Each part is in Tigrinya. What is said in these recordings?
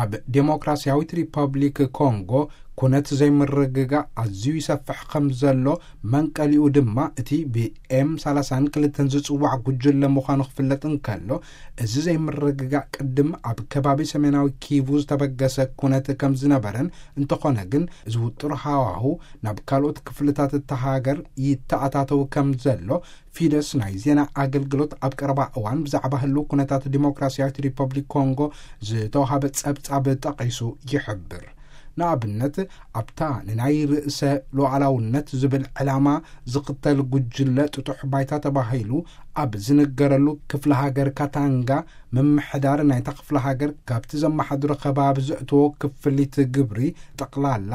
ኣብ ዴሞክራሲያዊት ሪፐብሊክ ኮንጎ ኩነት ዘይምርግጋእ ኣዝዩ ይሰፍሕ ከም ዘሎ፣ መንቀሊኡ ድማ እቲ ብኤም ሰላሳን ክልተን ዝጽዋዕ ጉጅለ ምዃኑ ክፍለጥ እንከሎ፣ እዚ ዘይምርግጋእ ቅድም ኣብ ከባቢ ሰሜናዊ ኪቩ ዝተበገሰ ኩነት ከም ዝነበረን፣ እንተኾነ ግን እዚ ውጥር ሃዋሁ ናብ ካልኦት ክፍልታት እታ ሃገር ይተኣታተው ከም ዘሎ ፊደስ ናይ ዜና ኣገልግሎት ኣብ ቀረባ እዋን ብዛዕባ ህልው ኩነታት ዲሞክራሲያዊት ሪፐብሊክ ኮንጎ ዝተዋሃበ ጸብጻብ ጠቒሱ ይሕብር። ንኣብነት፣ ኣብታ ንናይ ርእሰ ሉዓላውነት ዝብል ዕላማ ዝኽተል ጉጅለ ጥጡሕ ባይታ ተባሂሉ ኣብ ዝንገረሉ ክፍለ ሃገር ካታንጋ፣ ምምሕዳር ናይታ ክፍለ ሃገር ካብቲ ዘመሓድሮ ከባቢ ዘእትዎ ክፍሊት ግብሪ ጠቕላላ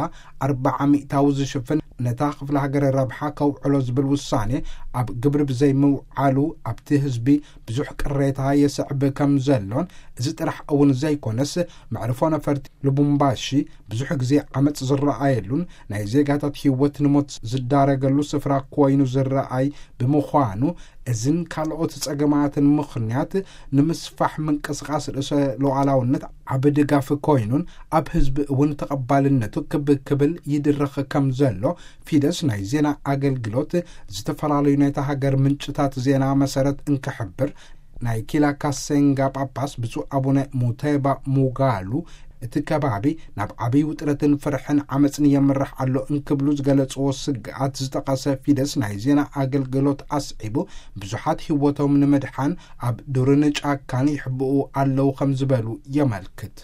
ኣርባዓ ሚእታዊ ዝሽፍን ነታ ክፍለ ሃገር ረብሓ ከውዕሎ ዝብል ውሳኔ ኣብ ግብሪ ብዘይምውዓሉ ኣብቲ ህዝቢ ብዙሕ ቅሬታ የስዕብ ከም ዘሎን፣ እዚ ጥራሕ እውን ዘይኮነስ መዕርፎ ነፈርቲ ሉቡምባሺ ብዙሕ ግዜ ዓመጽ ዝረኣየሉን ናይ ዜጋታት ህይወት ንሞት ዝዳረገሉ ስፍራ ኮይኑ ዝረኣይ ብምዃኑ፣ እዝን ካልኦት ጸገማትን ምኽንያት ንምስፋሕ ምንቅስቓስ ርእሰ ሉዓላውነት ዓቢ ድጋፍ ኮይኑን ኣብ ህዝቢ እውን ተቐባልነቱ ክብ ክብል ይድረኽ ከም ዘሎ ፊደስ ናይ ዜና ኣገልግሎት ዝተፈላለዩ ናይታ ሃገር ምንጭታት ዜና መሰረት እንክሕብር፣ ናይ ኪላ ካሴንጋ ጳጳስ ብፁዕ ኣቡነ ሙቴባ ሙጋሉ እቲ ከባቢ ናብ ዓብይ ውጥረትን ፍርሕን ዓመፅን የምርሕ ኣሎ እንክብሉ ዝገለፅዎ ስግኣት ዝጠቐሰ ፊደስ ናይ ዜና ኣገልግሎት ኣስዒቡ፣ ብዙሓት ህይወቶም ንምድሓን ኣብ ዱርን ጫካን ይሕብኡ ኣለዉ ከም ዝበሉ የመልክት።